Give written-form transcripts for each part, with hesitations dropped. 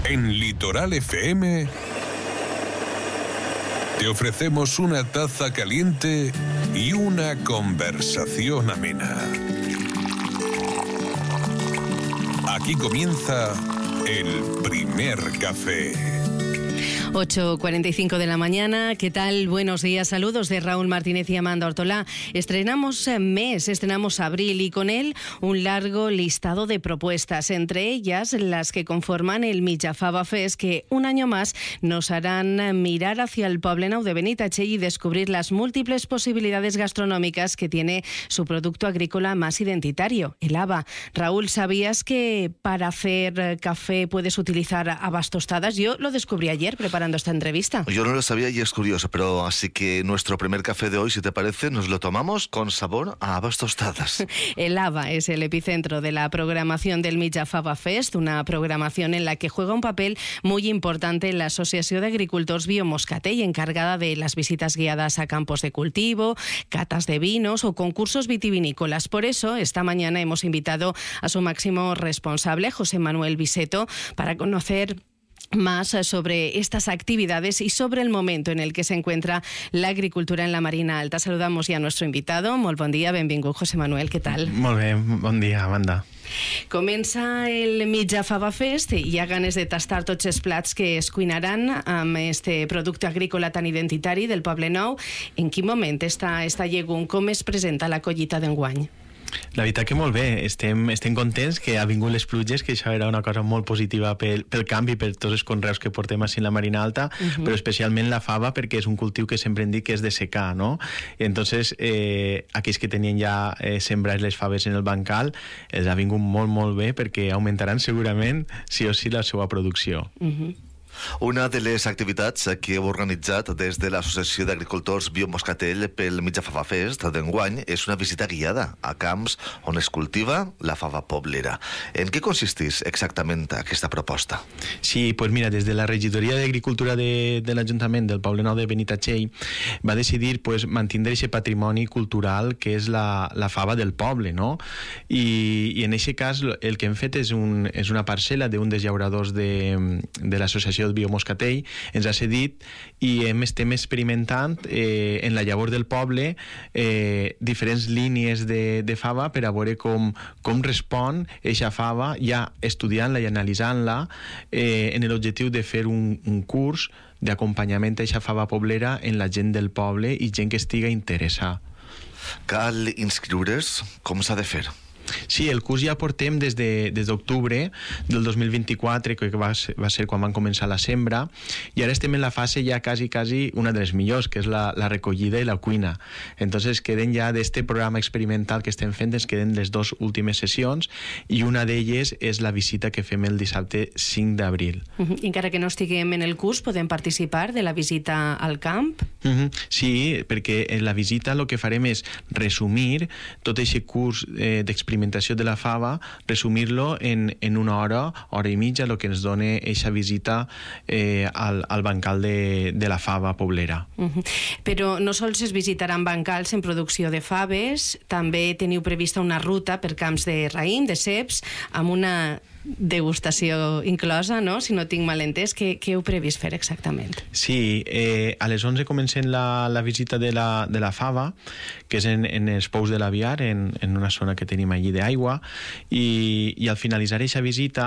En Litoral FM te ofrecemos una taza caliente y una conversación amena. Aquí comienza el primer café. 8:45 de la mañana. ¿Qué tal? Buenos días, saludos de Raúl Martínez y Amanda Ortolá. Estrenamos mes, estrenamos abril y con él un largo listado de propuestas, entre ellas las que conforman el Mitja Fava Fest, que un año más nos harán mirar hacia el Poblenou de Benitatxell y descubrir las múltiples posibilidades gastronómicas que tiene su producto agrícola más identitario, el haba. Raúl, ¿sabías que para hacer café puedes utilizar habas tostadas? Yo lo descubrí ayer preparando esta entrevista. Yo no lo sabía y es curioso, pero así que nuestro primer café de hoy, si te parece, nos lo tomamos con sabor a habas tostadas. El haba es el epicentro de la programación del Mitja Fava Fest, una programación en la que juega un papel muy importante la Asociación de Agricultors Biomoscatell, encargada de las visitas guiadas a campos de cultivo, catas de vinos o concursos vitivinícolas. Por eso, esta mañana hemos invitado a su máximo responsable, José Manuel Biseto, para conocer más sobre estas actividades y sobre el momento en el que se encuentra la agricultura en la Marina Alta. Saludamos ya a nuestro invitado. Molt bon dia, benvingut, José Manuel, què tal? Molt bé, bon dia, Amanda. Comença el Mitja Fava Fest i hi ha ganes de tastar tots els plats que es cuinaran amb este producte agrícola tan identitari del Poblenou. En quin moment està llegum? Com es presenta la collita d'enguany? La veritat que molt bé, estem contents que ha vingut les pluges, que això era una cosa molt positiva pel canvi, per tots els conreus que portem així en la Marina Alta, però especialment la fava, perquè és un cultiu que sempre hem dit que és de secà, no? Entonces, aquells que tenien ja sembrats les faves en el bancal, els ha vingut molt, molt bé, perquè augmentaran segurament, sí o sí, la seva producció. Una de les activitats que heu organitzat des de l'Associació d'Agricultors Biomoscatell pel Mitja Fava Fest d'enguany és una visita guiada a camps on es cultiva la fava poblera. En què consisteix exactament aquesta proposta? Sí, pues mira, des de la regidoria d'Agricultura de l'Ajuntament del Poblenou de Benitatxell va decidir pues, mantindre aquest patrimoni cultural que és la fava del poble, no? I en aquest cas el que hem fet és una parcel·la d'un dels llauradors de l'Associació Biomoscatell, ens ha cedit i estem experimentant en la llavor del poble diferents línies de fava per a veure com respon eixa fava, ja estudiant-la i analitzant-la en l'objectiu de fer un curs d'acompanyament a eixa fava poblera en la gent del poble i gent que estiga interessada. Cal inscriure's? Com s'ha de fer? Sí, el curs ja portem des d'octubre del 2024, que va ser quan van començar la sembra, i ara estem en la fase ja quasi una de les millors, que és la recollida i la cuina. Entonces queden ja d'este programa experimental que estem fent, ens queden les dues últimes sessions, i una d'elles és la visita que fem el dissabte 5 d'abril. Encara que no estiguem en el curs, podem participar de la visita al camp? Sí, perquè en la visita el que farem és resumir tot aquest curs d'experimentació de la fava, resumir-lo en una hora i mitja, el que ens dona aquesta visita al bancal de la fava poblera. Però no sols es visitaran bancals en producció de faves, també teniu prevista una ruta per camps de raïm, de ceps, amb una degustació inclosa, no? Si no tinc mal entès, què heu previst fer exactament? Sí, a les 11 comencem la visita de la fava, que és en els pous de l'Aviar, en una zona que tenim allí d'aigua, i al finalitzar aquesta visita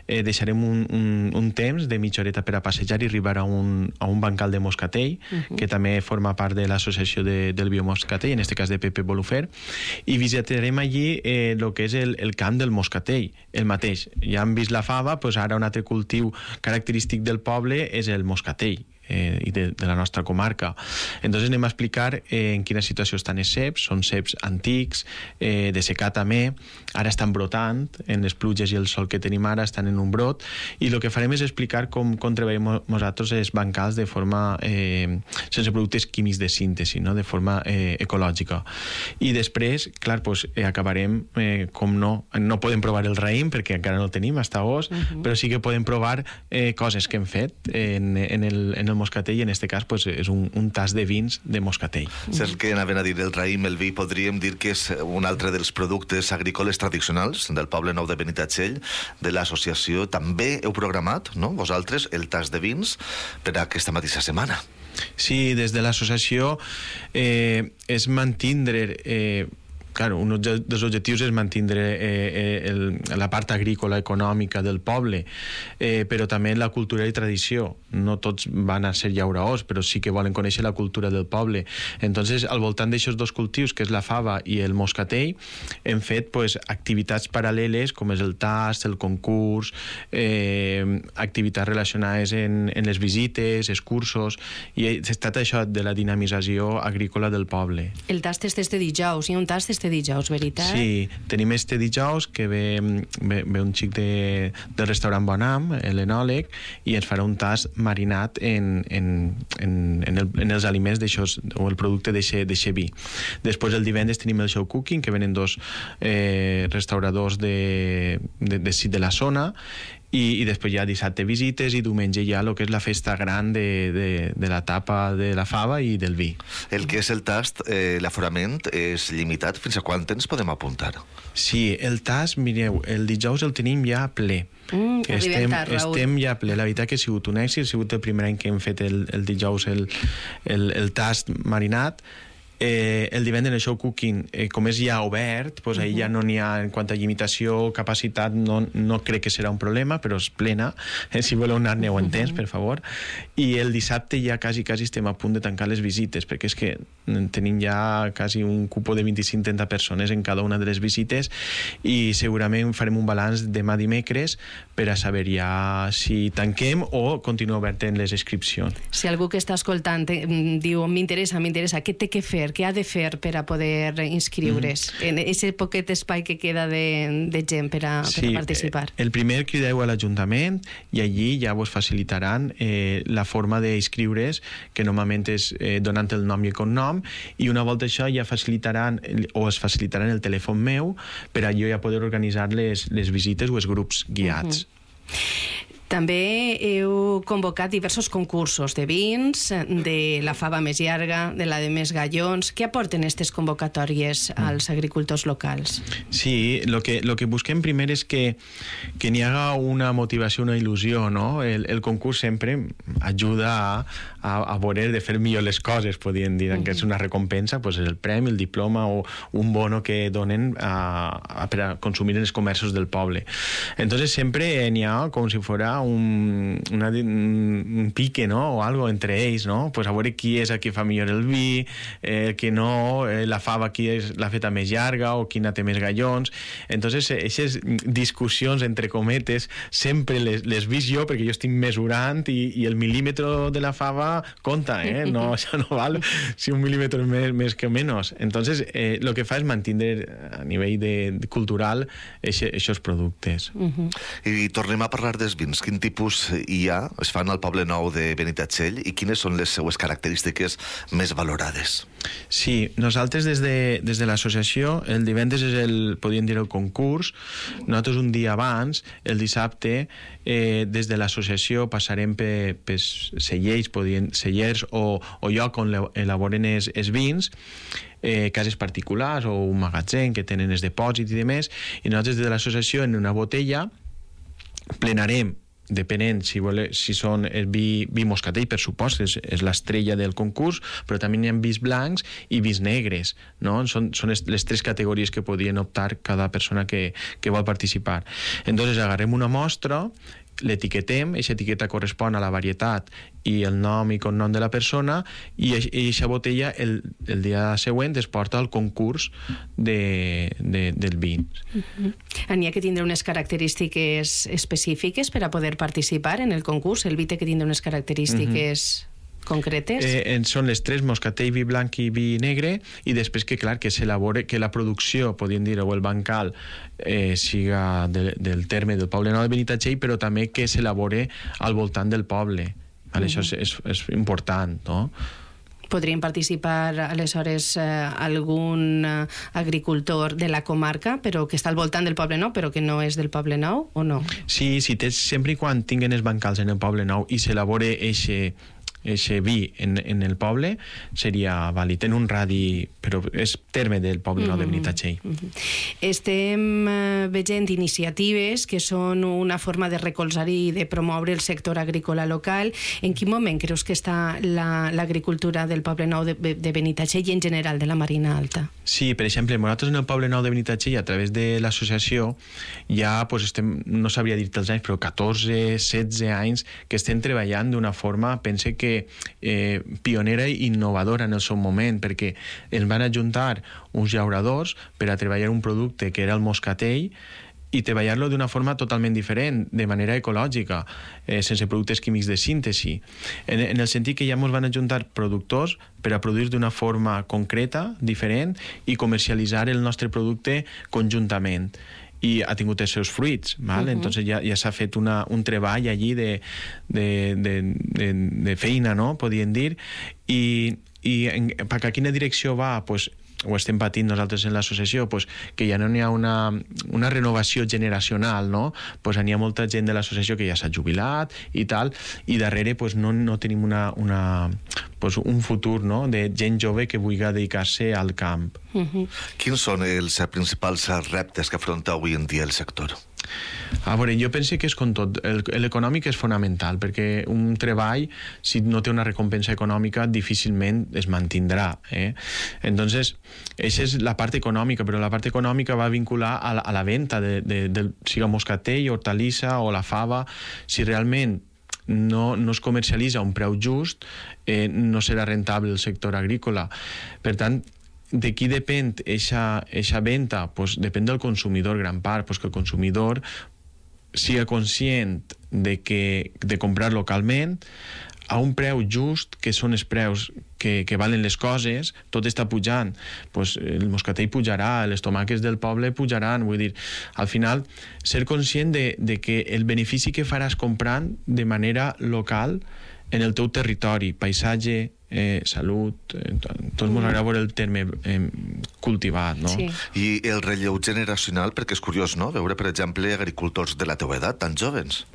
deixarem un temps de mitja horeta per a passejar i arribar a un bancal de moscatell, que també forma part de l'associació del biomoscatell, en aquest cas de Pepe Bolufer, i visitarem allí el que és el camp del moscatell, el mateix. Ja hem vist la fava, doncs ara un altre cultiu característic del poble és el moscatell. i de la nostra comarca. Entonces anem a explicar en quina situació estan els ceps. Són ceps antics, de secà també, ara estan brotant, en les pluges i el sol que tenim ara estan en un brot, i el que farem és explicar com treballem nosaltres els bancals de forma sense productes químics de síntesi, no? De forma ecològica. I després, clar, pues, acabarem, com no podem provar el raïm perquè encara no el tenim, està os, però sí que podem provar coses que hem fet en el el moscatell, i en aquest cas pues, és un tas de vins de moscatell. Saps que anaven a dir el raïm, el vi, podríem dir que és un altre dels productes agrícoles tradicionals del Poble Nou de Benitatxell, de l'associació. També heu programat, no?, vosaltres, el tas de vins per a aquesta mateixa setmana. Sí, des de l'associació és mantindre... Claro, un dels objectius és mantindre la part agrícola econòmica del poble, però també la cultura i tradició. No tots van a ser llauraors, però sí que volen conèixer la cultura del poble. Entonces, al voltant d'aixòs dos cultius, que és la fava i el moscatell, hem fet pues, activitats paral·leles, com és el tast, el concurs, activitats relacionades en les visites, excursos, i ha estat això de la dinamització agrícola del poble. El tast és este dijous, hi ha un tast este dijous, veritat? Sí, tenim este dijous que ve un xic del restaurant Bonam, l'enòleg, i ens farà un tast marinat en els aliments d'aixòs, o el producte d'eixe vi. Després el divendres tenim el show cooking, que venen dos restauradors de la zona, i després hi ha dissabte visites i diumenge hi ha el que és la festa gran de la tapa de la fava i del vi. El que és el tast, l'aforament és limitat. Fins a quan temps podem apuntar? Sí, el tast, mireu, el dijous el tenim ja ple. Estem ja ple. La veritat que ha sigut un èxit, ha sigut el primer any que hem fet el dijous el tast marinat. El divendres el show cooking, com és ja obert, doncs ahir ja no n'hi ha, en quant a limitació, capacitat, no crec que serà un problema, però és plena. Si voleu anar-ne-ho en temps, per favor. I el dissabte ja quasi estem a punt de tancar les visites, perquè és que tenim ja quasi un cupo de 25-30 persones en cada una de les visites, i segurament farem un balanç demà dimecres per a saber ja si tanquem o continua obert en les inscripcions. Si algú que està escoltant diu m'interessa, què té que fer? Què ha de fer per a poder inscriure's en aquest poquet espai que queda de gent per a participar? El primer crideu a l'Ajuntament i allí ja vos facilitaran la forma d'inscriure's, que normalment és donant el nom i el cognom, i una volta això ja facilitaran o es facilitaran el telèfon meu per a jo ja poder organitzar les visites o els grups guiats. També heu convocat diversos concursos de vins, de la fava més llarga, de la de més gallons. Què aporten aquestes convocatòries als agricultors locals? Sí, lo que busquem primer és que n'hi haga una motivació, una il·lusió, no? El concurs sempre ajuda a voler de fer millor les coses, podríem dir, que és una recompensa, pues és el premi, el diploma o un bono que donen per a consumir en els comerços del poble. Entonces sempre n'hi ha com si fos un pique, ¿no? O algo entre ells, ¿no? Pues a veure qui és el que fa millor el vi, que no, la fava qui és la feta més llarga o quina té més gallons. Entonces, aquestes discussions entre cometes sempre les vist jo, perquè jo estic mesurant i el milímetre de la fava compta, no, això no val si un milímetre més que menys. Entonces, lo que fa és mantenir a nivell cultural aquests productes. I tornem a parlar dels vins. Quin tipus hi ha, es fan al Poble Nou de Benitatxell, i quines són les seues característiques més valorades? Sí, nosaltres des de l'associació, el divendres és podríem dir el concurs. Nosaltres un dia abans, el dissabte, des de l'associació passarem per cellers o lloc on elaboren els vins, cases particulars o un magatzem que tenen els depòsits i demés, i nosaltres des de l'associació en una botella plenarem, depenent si són el vi moscatell, per supost, és l'estrella del concurs, però també hi ha vins blancs i vins negres, no? Són les tres categories que podien optar cada persona que vol participar. Entonces agarrem una mostra, l'etiquetem, aquesta etiqueta correspon a la varietat i el nom i cognom de la persona, i aquesta botella el dia següent es porta al concurs del vi. N'hi ha que tindre unes característiques específiques per a poder participar en el concurs? El vi té que tindre unes característiques concretes? Són les tres, moscatell, vi blanc i vi negre, i després que, clar, que s'elabore, que la producció, podríem dir, o el bancal siga del terme del Poble Nou de Benitatxell, però també que s'elabore al voltant del poble. Això és important, no? Podrien participar, aleshores, algun agricultor de la comarca, però que està al voltant del Poble Nou, però que no és del Poble Nou, o no? Sí, sempre i quan tinguen els bancals en el Poble Nou i s'elabore eixe vi en el poble seria vàlid, en un radi, però és terme del poble nou de Benitatxell. Estem veient iniciatives que són una forma de recolzar i de promoure el sector agrícola local. En quin moment creus que està l'agricultura del poble nou de Benitatxell i en general de la Marina Alta? Sí, per exemple, nosaltres en el poble nou de Benitatxell, a través de l'associació, ja estem, no sabria dir-te els anys, però 14, 16 anys que estem treballant d'una forma, pense que pionera i innovadora en el seu moment, perquè ens van ajuntar uns llauradors per a treballar un producte que era el moscatell i treballar-lo d'una forma totalment diferent, de manera ecològica, sense productes químics de síntesi, en el sentit que ja ens van ajuntar productors per a produir d'una forma concreta, diferent, i comercialitzar el nostre producte conjuntament. I ha tingut els seus fruits, val? Entonces ja s'ha fet un treball allí de feina, no? Podríem dir, i per a quina direcció va? Pues ho estem patint nosaltres en l'associació, pues, que ja no n'hi ha una renovació generacional, no? Pues n'hi ha molta gent de l'associació que ja s'ha jubilat i tal, i darrere pues, no tenim un futur, no? De gent jove que vulgui dedicar-se al camp. Quins són els principals reptes que afronta avui en dia el sector? A veure, jo penso que és com tot. L'econòmic és fonamental, perquè un treball, si no té una recompensa econòmica, difícilment es mantindrà. Entonces, aquesta és la part econòmica, però la part econòmica va vincular a la venda siga moscatell, hortalissa o la fava. Si realment no es comercialitza a un preu just, no serà rentable el sector agrícola. Per tant, de qui depèn eixa venda? Pues depèn del consumidor, gran part, pues que el consumidor siga conscient de comprar localment a un preu just, que són els preus que valen les coses. Tot està pujant, pues el moscatell pujarà, les tomàquets del poble pujaran, vull dir, al final ser conscient de que el benefici que faràs comprant de manera local en el teu territori, paisatge, salut, tots ens agrada veure el terme cultivat, no? Sí. I el relleu generacional, perquè és curiós, no? Veure, per exemple, agricultors de la teva edat, tan jóvens.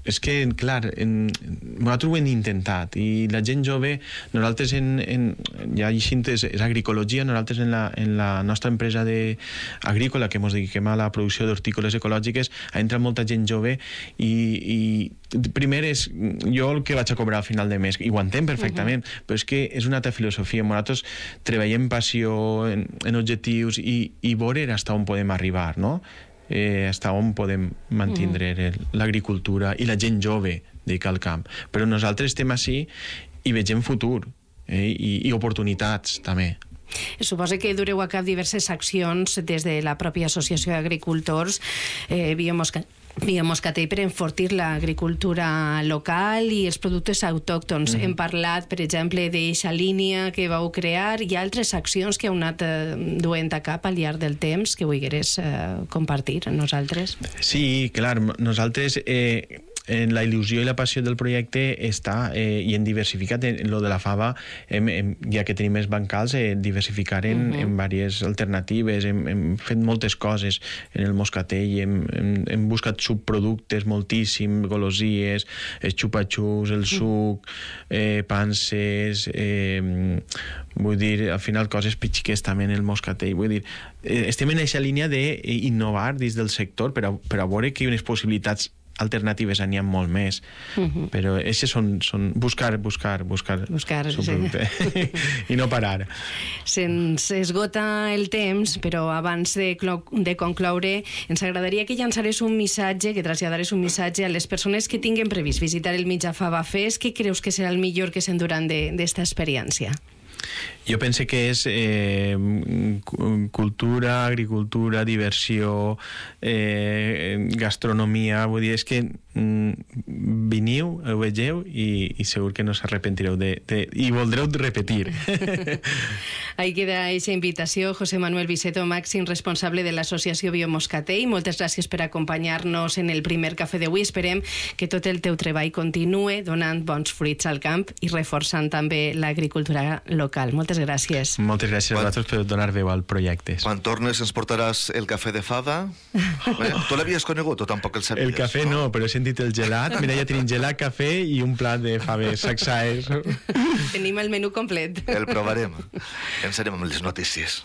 És que, clar, nosaltres ho hem intentat, i la gent jove, nosaltres ja és agricologia, nosaltres en la nostra empresa agrícola, que ens dediquem a la producció d'hortícoles ecològiques, ha entrat molta gent jove, i primer és jo el que vaig a cobrar al final de mes, i ho entenc perfectament, però és que és una altra filosofia. Nosaltres treballem passió en objectius i veure fins on podem arribar, no? Fins on podem mantindre l'agricultura i la gent jove dedicada al camp. Però nosaltres estem així i vegem futur i oportunitats també. Suposo que dureu a cap diverses accions des de la pròpia Associació d'Agricultors Via Moscatell per enfortir l'agricultura local i els productes autòctons. Hem parlat, per exemple, d'eixa línia que vau crear i altres accions que heu anat duent a cap al llarg del temps que vulgueres compartir amb nosaltres. Sí, clar, nosaltres en la il·lusió i la passió del projecte està, i hem diversificat en lo de la fava, ja que tenim més bancals, diversificar en diverses alternatives, hem fet moltes coses en el moscatell, hem buscat subproductes moltíssim, golosies, els xupa-xups, el suc, panses, vull dir, al final coses pitxiques també en el moscatell, vull dir, estem en aquesta línia d'innovar dins del sector per a veure que unes possibilitats alternatives n'hi ha molt més, però aquestes són buscar subproducte i no parar. Se'ns esgota el temps, però abans de concloure ens agradaria que llançares un missatge, que traslladares un missatge a les persones que tinguin previst visitar el Mitja Fava Fest. Què creus que serà el millor que s'enduran d'esta experiència? Jo penso que és cultura, agricultura, diversió, gastronomia, vull dir, és que veniu, ho vegeu i segur que no s'arrepentireu i voldreu repetir. Ahí queda aquesta invitació. José Manuel Viceto, màxim responsable de l'Associació Biomoscatell, moltes gràcies per acompanyar-nos en el primer cafè d'avui. Esperem que tot el teu treball continue donant bons fruits al camp i reforçant també l'agricultura local. local. Moltes gràcies. Moltes gràcies a vosaltres per donar veu al projecte. Quan tornes ens portaràs el cafè de fava. Tu l'havies conegut o tampoc el sabies? El cafè no, però he sentit el gelat. Mira, ja tenim gelat, cafè i un plat de faves saxaes. Tenim el menú complet. El provarem. Ens anem amb les notícies.